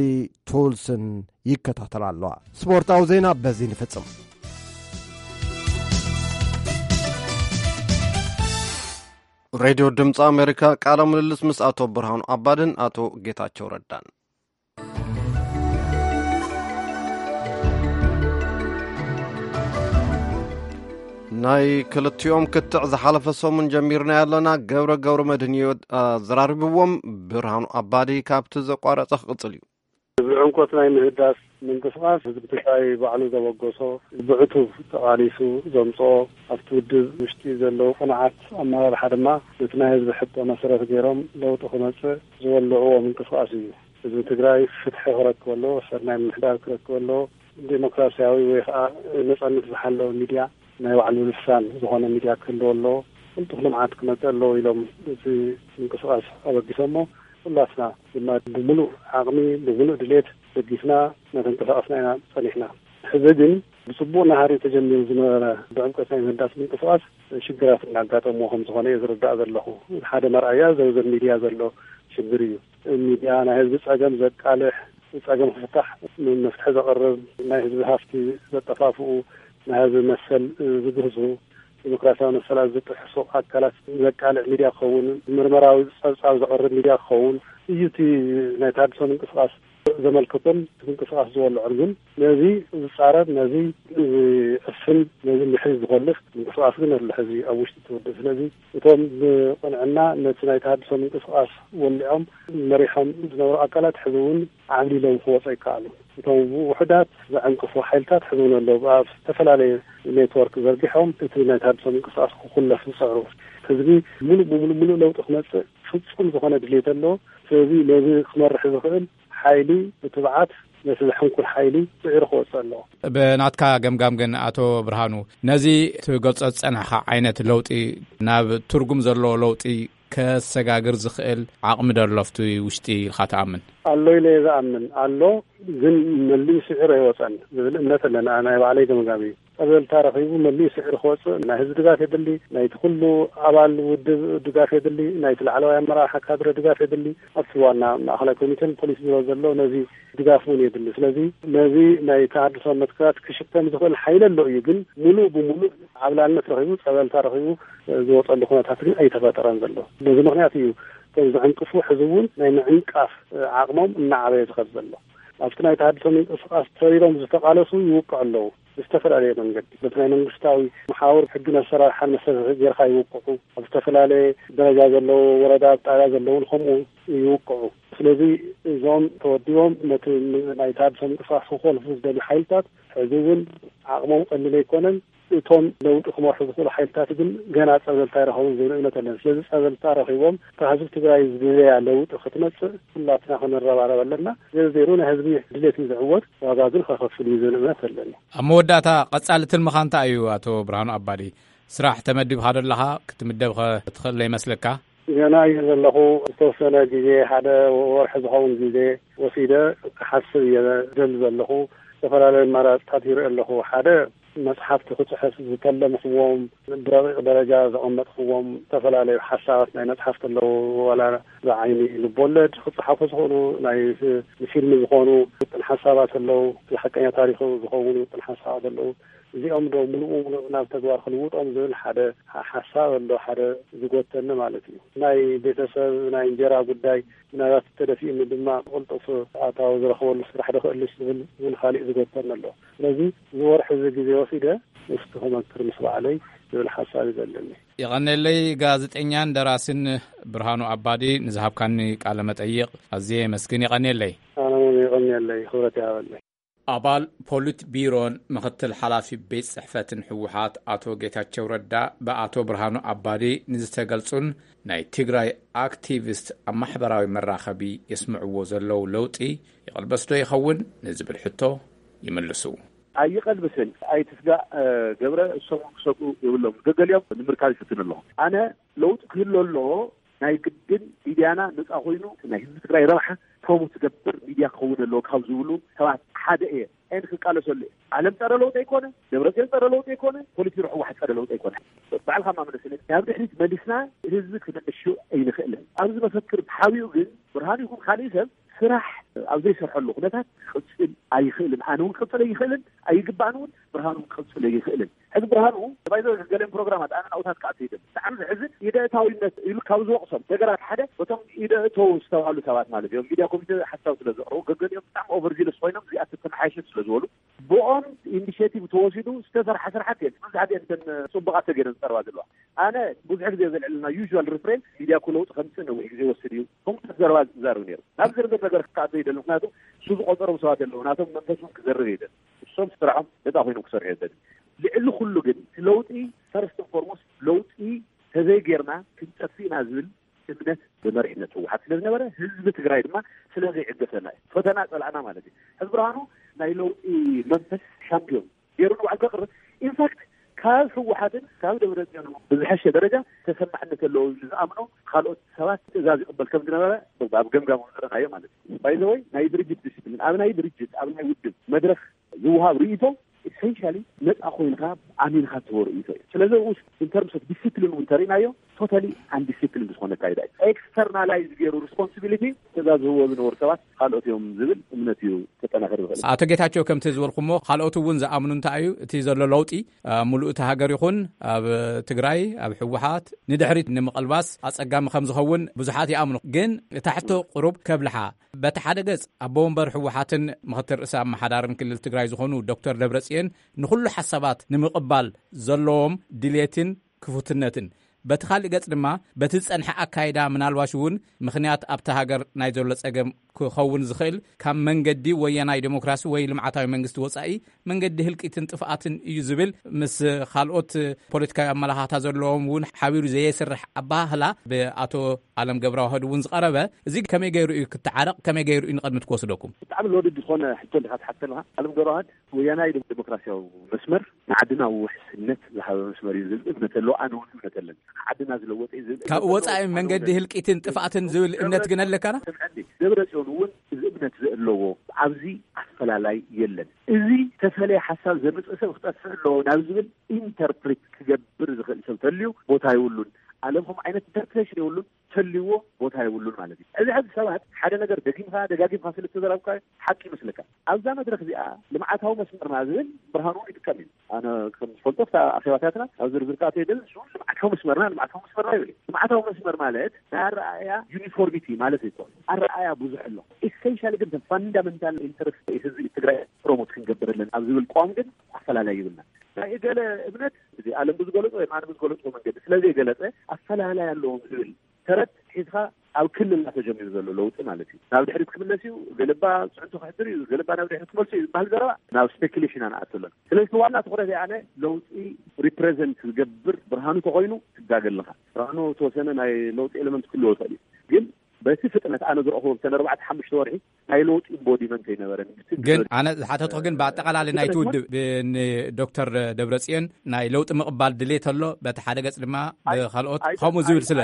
ቱልስን ይከታተላ ኣለዋ። ስፖርታዊ ዜና በዚ ንፍጽም። ሬድዮ ድምፂ ኣሜሪካ ቃለ ምልልስ ምስ ኣቶ ብርሃኑ ኣባድን ኣቶ ጌታቸው ረዳን። ናይ ክልቲኦም ክትዕ ዝሓለፈ ሰሙን ጀሚርና ኣለና። ገብረ ገብረ መድህን እዩ ኣዘራሪብዎም። ብርሃኑ ኣባዲ ካብቲ ዘቋረጸ ክቕጽል እዩ። እዚ ዕምቆት ናይ ምህዳስ ምንቅስቃስ ህዝቢ ትግራይ ባዕሉ ዘበገሶ፣ ብዕቱብ ተቓሊሱ ዘምፅኦ፣ ኣብቲ ውድብ ውሽጢ ዘለዉ ቅኑዓት ኣመራርሓ ድማ ነቲ ናይ ህዝቢ ሕቶ መሰረት ገይሮም ለውጢ ክመፅእ ዝወልዕዎ ምንቅስቃስ እዩ። ህዝቢ ትግራይ ፍትሒ ክረክብ ኣለዎ፣ ሰናይ ምምሕዳር ክረክብ ኣለዎ፣ ዴሞክራሲያዊ ወይ ከዓ ነፃነት ዝሓለወ ሚድያ፣ ናይ ባዕሉ ልሳን ዝኾነ ሚድያ ክህልዎ ኣለዎ። ቅልጡፍ ልምዓት ክመፅእ ኣለዎ ኢሎም እቲ ምንቅስቃስ ኣበጊሶሞ። ኩላትና ድማ ብምሉእ ዓቕሚ፣ ብምሉእ ድሌት ደጊፍና እናተንቀሳቐስና ኢና ጸኒሕና። ሕዚ ግን ብጽቡቕ ናህሪ ተጀሚሩ ዝነበረ ብዕምቀት ናይ ምህዳስ ምንቅስቃስ ሽግራት እናጋጠምዎ ከም ዝኾነ እየ ዝርዳእ ዘለኹ። ሓደ መርኣያ ዘውዘን ሚድያ ዘሎ ሽግር እዩ። ሚድያ ናይ ህዝቢ ጸገም ዘቃልሕ፣ ጸገም ክፍታሕ መፍትሒ ዘቕርብ፣ ናይ ህዝቢ ሃፍቲ ዘጠፋፍኡ፣ ናይ ህዝቢ መሰል ዝግህሱ፣ ዲሞክራሲያዊ መሰላት ዝጥሕሱ ኣካላት ዘቃልዕ ሚድያ ክኸውን፣ ምርመራዊ ጸብጻብ ዘቕርብ ሚድያ ክኸውን እዩ። እቲ ናይ ተሃድሶ ምንቅስቃስ ዘመልክቶን እቲ ምንቅስቃስ ዝወልዖን ግን ነዚ ዝጻረር፣ ነዚ ዝዕፍን፣ ነዚ ንድሕሪት ዝኾልፍ ምንቅስቃስ ግን ኣሎ ሕዚ ኣብ ውሽጢ እቲ ውድብ። ስለዚ እቶም ብቕንዕና ነቲ ናይ ተሃድሶ ምንቅስቃስ ወሊዖም መሪሖም ዝነበሩ ኣካላት ሕዚ እውን ዓብሊሎም ክወፁ ኣይከኣሉ። እቶም ውሑዳት ዘዕንቅፉ ሓይልታት ሕዚ እውን ኣለዉ። ኣብ ዝተፈላለየ ኔትወርክ ዘርጊሖም እቲ ናይ ተሃድሶ ምንቅስቃስ ክኹለፍ ዝፅዕሩ። ህዝቢ ሙሉእ ብሙሉእ ሙሉእ ለውጢ ክመፅእ ፍጹም ዝኾነ ድሌት ኣለዎ። ስለዚ ነዚ ክመርሕ ዝኽእል ሓይሊ ብትብዓት ነቲ ዘሕንኩል ሓይሊ ስዒሩ ክወፅእ ኣለዎ። ብናትካ ገምጋም ግን ኣቶ ብርሃኑ፣ ነዚ ትገልጾ ዝጸናሕካ ዓይነት ለውጢ ናብ ትርጉም ዘለዎ ለውጢ ከሰጋግር ዝኽእል ዓቕሚ ዶ ኣሎ ኣብቲ ውሽጢ ኢልካ ትኣምን? ኣሎ ኢለ እየ ዝኣምን። ኣሎ፣ ግን መሊኡ ስዒሩ ኣይወጸን ዝብል እምነት ኣለና። ናይ ባዕለይ ገምጋም እዩ። ጸብለልታ ረኺቡ መሊኡ ስዒሩ ክወጽእ ናይ ህዝቢ ድጋፍ የድሊ፣ ናይቲ ኩሉ ኣባል ውድብ ድጋፍ የድሊ፣ ናይቲ ላዕለዋይ ኣመራርሓ ካድረ ድጋፍ የድሊ። ኣብቲ ዋና ማእኸላይ ኮሚቴን ፖሊስ ቢሮ ዘሎ ነዚ ድጋፍ እውን የድሊ። ስለዚ ነዚ ናይ ተሃድሶ መትከላት ክሽከም ዝኽእል ሓይሊ ኣሎ እዩ፣ ግን ሙሉእ ብሙሉእ ዓብላልነት ረኺቡ፣ ጸበልታ ረኺቡ ዝወጸሉ ኩነታት ግን ኣይተፈጠረን ዘሎ። በዚ ምኽንያት እዩ እቶም ዝዕንቅፉ ሕዚ እውን ናይ ምዕንቃፍ ዓቕሞም እናዓበየ ዝኸድ ዘሎ። ኣብቲ ናይ ተሃድሶ ምንቅስቃስ ተሪሮም ዝተቓለሱ ይውቅዑ ኣለዉ። ብዝተፈላለየ መንገዲ በቲ ናይ መንግስታዊ መሓውር ሕግን ኣሰራርሓን መሰረት ጌርካ ይውቅዑ። ኣብ ዝተፈላለየ ደረጃ ዘለዉ ወረዳ፣ ኣብ ጣብያ ዘለዉን ከምኡ ይውቅዑ። ስለዚ እዞም ተወዲቦም ነቲ ናይ ተሃድሶ ምንቅስቃስ ክኾልፉ ዝደልዩ ሓይልታት ሕዚ እውን ዓቕሞም ቀሊል ኣይኮነን። እቶም ለውጢ ክመርሑ ዝኽእሉ ሓይልታት ግን ገና ጸብለልታ ይረኸቡን ዝብል እምነት ኣለኒ። ስለዚ ጸብለልታ ረኺቦም እታ ህዝቢ ትግራይ ዝደለያ ለውጢ ክትመጽእ ኩላትና ክንረባረብ ኣለና። ዘርዜሩ ናይ ህዝቢ ድሌት እዩ ዝዕወት፣ ዋጋ ግን ከኸፍል እዩ ዝብል እምነት ኣለኒ። ኣብ መወዳእታ ቀጻሊ ትልምኻ እንታይ እዩ ኣቶ ብርሃኑ ኣባዲ? ስራሕ ተመዲብካ ዶ ኣለኻ? ክትምደብ ኸ ትኽእል ዶ ይመስለካ? ገና እየ ዘለኹ። ዝተወሰነ ግዜ፣ ሓደ ወርሒ ዝኸውን ግዜ ወሲደ ክሓስብ እየ ደሊ ዘለኹ። ዝተፈላለዩ ኣማራፅታት ይርኢ ኣለኹ። ሓደ፣ መፅሓፍቲ ክፅሕፍ ዝተለምኽዎም፣ ብረቂቕ ደረጃ ዘቐመጥኽዎም ዝተፈላለዩ ሓሳባት ናይ መፅሓፍቲ ኣለዉ። ዋላ ብዓይኒ ልቦለድ ክፅሓፉ ዝኽእሉ፣ ናይ ንፊልም ዝኾኑ ውጥን ሓሳባት ኣለዉ። ሓቀኛ ታሪኽ ዝኸውን ውጥን ሓሳባት ኣለዉ። እዚኦም ዶ ምሉእ ብምሉእ ናብ ተግባር ክልውጦም ዝብል ሓደ ሓ-፣ ሓሳብ ኣሎ፣ ሓደ ዝጎተኒ ማለት እዩ። ናይ ቤተሰብ ናይ እንጀራ ጉዳይ ምናልባት ተደፊኡኒ ድማ ቅልጡፍ ኣታዊ ዝረኽበሉ ስራሕ ዶ ክእልሽ ዝብል እውን ካሊእ ዝጎተኒ ኣሎ። ስለዚ እዚ ወርሒ እዚ ግዜ ወሲደ እስቲ ክመክር ምስ ባዕለይ ዝብል ሓሳብ እዩ ዘለኒ። የቐኔለይ። ጋዜጠኛን ደራስን ብርሃኑ ኣባዲ፣ ንዝሃብካኒ ቃለ መጠይቕ ኣዝየ የመስግን። የቐኔለይ። ኣነ እውን የቐኔለይ፣ ክብረት ይሃበለይ። ኣባል ፖሊት ቢሮን ምኽትል ሓላፊ ቤት ጽሕፈትን ህወሓት ኣቶ ጌታቸው ረዳ፣ ብኣቶ ብርሃኑ ኣባዲ ንዝተገልጹን ናይ ትግራይ ኣክቲቪስት ኣብ ማሕበራዊ መራኸቢ የስምዕዎ ዘለዉ ለውጢ ይቐልበስ ዶ ይኸውን ንዝብል ሕቶ ይምልሱ። ኣይቐልብስን፣ ኣይትስጋእ፣ ገብረ፣ እሶም ክሰግኡ የብሎም። ገገሊኦም ንምርካብ ይፍትን ኣለኹ። ኣነ ለውጢ ክህሉ ኣለዎ፣ ናይ ግድን ሚድያና ነፃ ኮይኑ ናይ ህዝቢ ትግራይ ረብሓ ፕሮሞት ዝገብር ሚድያ ክኸውን ኣለዎ ካብ ዝብሉ ሰባት ሓደ እየ። ኤን ክቃለሰሉ እየ። ዓለም ጸረ ለውጢ ኣይኮነ፣ ደብረጽዮን ጸረ ለውጢ ኣይኮነ፣ ፖሊትቢሮ ህወሓት ጸረ ለውጢ ኣይኮነ። ባዕልካ ማመለስነ ናብ ድሕሪት መሊስና ህዝቢ ክነዕሹ ኣይንኽእልን። ኣብዚ መፈክር ተሓቢኡ ግን ብርሃን ይኹን ካሊእ ሰብ ስራሕ ኣብ ዘይሰርሐሉ ኩነታት ክቕጽል ኣይኽእልን። ኣነ እውን ክቕጽል ኣይኽእልን፣ ኣይግባእን እውን። ብርሃኑ ክቕጽል ኣይኽእልን። ሕዚ ብርሃኑ ባይዘ ገለን ፕሮግራማት ኣነ ናውታት ክኣቱ ይደል። ብጣዕሚ ዝሕዝን ኢደእታዊነት ኢሉ ካብ ዝወቕሶም ነገራት ሓደ በቶም ኢደእተው ዝተባሉ ሰባት ማለት እዮም። ሚድያ ኮሚቴ ሓሳብ ስለ ዘቕረቡ ገገሊኦም ብጣዕሚ ኦቨርዚለስ ኮይኖም እዚኣ ተተመሓየሸት ስለ ዝበሉ ብኦም ኢኒሽቲቭ ተወሲዱ ዝተሰርሐ ስራሓት የለን። መብዛሕትኤን እተን ጽቡቓት ተገይረን ዝቐርባ ዘለዋ። ኣነ ብዙሕ ግዜ ዘልዕልና ዩዥዋል ሪፍሬን ሚድያ እኮ ለውጢ ከምፅእ ነዊሕ ግዜ ወስድ እዩ። ከምታት ዘረባ ዝዛረብ ነይሩ። ናብ ዝርዝር ነገር ክኣቶ ይደል። ምክንያቱ እሱ ዝቆፀሮም ሰባት ኣለዉ። ናቶም መንፈስ እውን ክዘርግ ይደል። እሶም ስራሖም ነፃ ኮይኖም ክሰርሑ የደል። ልዕሊ ኩሉ ግን እቲ ለውጢ ፈርስት ፎርሞስት ለውጢ ተዘይጌርና ክንጠፍእ ኢና ዝብል እምነት ብመሪሕነት ህወሓት ስለ ዝነበረ ህዝቢ ትግራይ ድማ ስለ ዘይዕገሰና እዩ። ፈተና ፀላእና ማለት እዩ። ሕዚ ብርሃኑ ናይ ለውጢ መንፈስ ሻምፒዮን ገይሩ ንባዕሉ ከቕርብ፣ ኢንፋክት ካብ ህወሓትን ካብ ደብረፅዮን ብዝሐሸ ደረጃ ተሰማዕነት ኣለዎ ዝብል ዝኣምኖ ካልኦት ሰባት ትእዛዝ ይቕበል ከም ዝነበረ ኣብ ገምጋም ዝረኣዮ ማለት እዩ። ባይዘወይ ናይ ድርጅት ዲስፕሊን ኣብ ናይ ድርጅት ኣብ ናይ ውድብ መድረክ ዝወሃብ ርእይቶ ኢሰንሻሊ ነፃ ኮይንካ ኣሚንካ ትህቦ ርእይቶ እዩ። ስለዚ ኡስ ኢንተርምስ ኦፍ ዲስፕሊን እውን ተሪእናዮ ቶታሊ ኣንዲስፕሊን ዝኾነ ኣካይዳ እዩ። ኤክስተርናላይዝ ገይሩ ሪስፖንሲቢሊቲ ትእዛዝ ዝህቦ ዝነበሩ ሰባት ካልኦት እዮም ዝብል እምነት እዩ ተጠናኸር ዝኽእል። ኣቶ ጌታቸው፣ ከምቲ ዝበልኩሞ ካልኦት እውን ዝኣምኑ እንታይ እዩ እቲ ዘሎ ለውጢ ሙሉእ እቲ ሃገር ይኹን ኣብ ትግራይ ኣብ ህወሓት ንድሕሪት ንምቕልባስ ኣፀጋሚ ከም ዝኸውን ብዙሓት ይኣምኑ። ግን እታ ሕቶ ቁሩብ ከብልሓ፣ በቲ ሓደ ገጽ ኣቦ ወንበር ህወሓትን ምኽትል ርእሰ ኣመሓዳርን ክልል ትግራይ ዝኾኑ ዶክተር ደብረጽዮን ንኹሉ ሓሳባት ንምቕባል ዘለዎም ድሌትን ክፉትነትን፣ በቲ ካልእ ገጽ ድማ በቲ ዝጸንሐ ኣካይዳ ምናልባሽ እውን ምኽንያት ኣብቲ ሃገር ናይ ዘሎ ጸገም ክኸውን ዝኽእል ካብ መንገዲ ወያናይ ዴሞክራሲ ወይ ልምዓታዊ መንግስቲ ወጻኢ መንገዲ ህልቂትን ጥፍኣትን እዩ ዝብል ምስ ካልኦት ፖለቲካዊ ኣመላኻታ ዘለዎም እውን ሓቢሩ ዘየስርሕ ኣባህላ ብኣቶ ኣለም ገብረዋህድ እውን ዝቐረበ፣ እዚ ከመይ ገይሩ እዩ ክተዓረቕ? ከመይ ገይሩ እዩ ንቕድሚት ክወስደኩም? ብጣዕሚ ሎድድ ዝኾነ ሕቶ እንዲኻ ትሓተልኻ። ኣለም ገብረዋህድ ወያናይ ዴሞክራሲያዊ መስመር ንዓድና ውሕስነት ዝሃበ መስመር እዩ ዝብል እምነት ኣለዎ። ኣነ እውን እምነት ኣለኒ። ዓድና ዝለወጠ እዩ ዝብል ካብ እምነት ወፃኢ ኣለዎ። መንገዲ ህልቂትን ጥፍኣትን ዝብል እምነት ግን ኣለካና? ስምዐኒ፣ ደብረ ጽዮን እውን እዚ እምነት ዘለዎ ኣብዚ ኣፈላላይ የለን። እዚ ተፈለየ ሓሳብ ዘምፅእ ሰብ ክጠፍእ ኣለዎ ናብ ዝብል ኢንተርፕሪት ክገብር ዝኽእል ሰብ ተልዩ ቦታ የብሉን። ኣለም ከምኡ ዓይነት ኢንተርፕሬሽን የብሉን። ተልዎ ቦታ የብሉን ማለት እዩ። እዚ ሕዚ ሰባት ሓደ ነገር ደጊምካ ደጋጊምካ ስለ ዝተዘራብካ ሓቂ ይመስለካ። ኣብዛ መድረክ እዚኣ ልምዓታዊ መስመርና ዝብል ብርሃኑ እውን ይጥቀም እዩ። ኣነ ከም ዝፈልጦ ኣብታ ኣኼባታትና ኣብ ዝርዝር ክኣትዎ የደልን። እሱ ልምዓታዊ መስመርና ልምዓታዊ መስመርና ይብል እዩ። ልምዓታዊ መስመር ማለት ናይ ኣረኣእያ ዩኒፎርሚቲ ማለት እዩ። ኣረኣእያ ብዙሕ ኣሎ። ኢሴንሻሊ ግን ፈንዳመንታል ኢንተረስት ህዝቢ ትግራይ ፕሮሞት ክንገብር ኣለና ኣብ ዝብል ቅዋም ግን ኣፈላላይ ይብልና። ናይ እገለ እምነት እዚ ኣለም ብዝገለጾ ወይ ኣነ ብዝገለጾ መንገዲ ስለ ዘይገለጸ ኣፈላላይ ኣለዎም ዝብል ተረት ሒዝካ ኣብ ክልልና ተጀሚሩ ዘሎ ለውጢ ማለት እዩ። ናብ ድሕሪት ክምለስ እዩ፣ ገለባ ፅዕንቶ ክሕድር እዩ፣ ገለባ ናብ ድሕሪት ክመልሱ እዩ ዝበሃል ዘረባ ናብ ስፔኩሌሽን ኣንኣትለን። ስለዚ ዋና ትኹረት ኣነ ለውጢ ሪፕሬዘንት ዝገብር ብርሃኑ ተኮይኑ ትጋገ ኣለኻ። ብርሃኑ ተወሰነ ናይ ለውጢ ኤለመንት ክህልዎ ይኽእል እዩ፣ ግን በቲ ፍጥነት ኣነ ዝረኽቦ ብተን ኣርባዕተ ሓሙሽተ ወርሒ ናይ ለውጢ ኢምቦዲመንት ኣይነበረን። ግን ኣነ ዝሓተትኩ ግን ብኣጠቓላሊ ናይቲ ውድብ ንዶክተር ደብረጽዮን ናይ ለውጢ ምቕባል ድሌት ኣሎ፣ በቲ ሓደ ገጽ ድማ ብኻልኦት ከምኡ ዝብል ስለ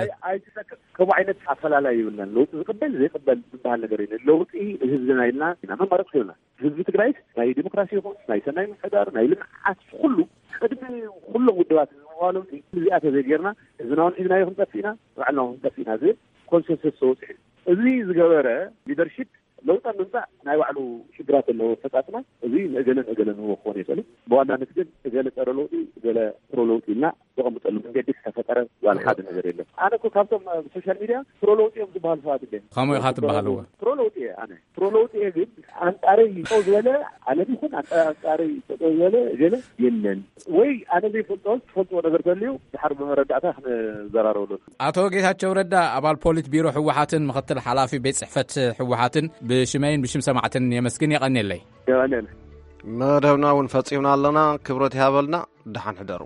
ከምኡ ዓይነት ኣፈላላይ ይብልናን ለውጢ ዝቕበል ዘይቕበል ዝበሃል ነገር የለን። ለውጢ ህዝብና ኢልና ኢና መማረፂ ሂብና። ህዝቢ ትግራይስ ናይ ዲሞክራሲ ይኹን ናይ ሰናይ ምሕዳር ናይ ልምዓት ኩሉ ቅድሚ ኩሎም ውድባት ዝምዋ ለውጢ እዚኣ ተዘይጌርና ህዝብና እውን ሒዝናዮ ክንጠፍእ ኢና፣ ባዕልና እውን ክንጠፍእ ኢና ዝብል ኮንሰንሰስ ተወፂሑ። እዚ ዝገበረ ሊደርሺፕ ለውጢ ኣብ ምምፃእ ናይ ባዕሉ ሽግራት ኣለዎ። ፈፃፅና እዚ ንእገለ ንእገለ ንህቦ ክኾን ይኽእል። ብዋናነት ግን እገለ ፀረ ለውጢ እገለ ፕሮ ለውጢ ኢልና ዘቐምጠሉ መንገዲ ዝተፈጠረ ዋላ ሓደ ነገር የለን። ኣነ እኮ ካብቶም ኣብ ሶሻል ሚድያ ፕሮ ለውጢ እዮም ዝበሃሉ ሰባት እንደ ከምኡ ኢኻ ትበሃልዎ። ፕሮ ለውጢ እየ ኣነ። ፕሮ ለውጢ እየ ግን ኣንጻረይ ጠው ዝበለ ዓለም ይኹን ኣንጻ- ኣንጻረይ ጠው ዝበለ ገለ የለን። ወይ ኣነ ዘይፈልጦ ትፈልጥዎ ነገር ተልዩ ድሓር ብመረዳእታ ክንዘራረበሉ። ኣቶ ጌታቸው ረዳ ኣባል ፖሊት ቢሮ ህወሓትን ምኽትል ሓላፊ ቤት ጽሕፈት ህወሓትን ብሽመይን ብሽም ሰማዕትን የመስግን። የቐንየለይ። የቐንየለይ። መደብና እውን ፈጺምና ኣለና። ክብረት ይሃበልና። ደሓን ሕደሩ።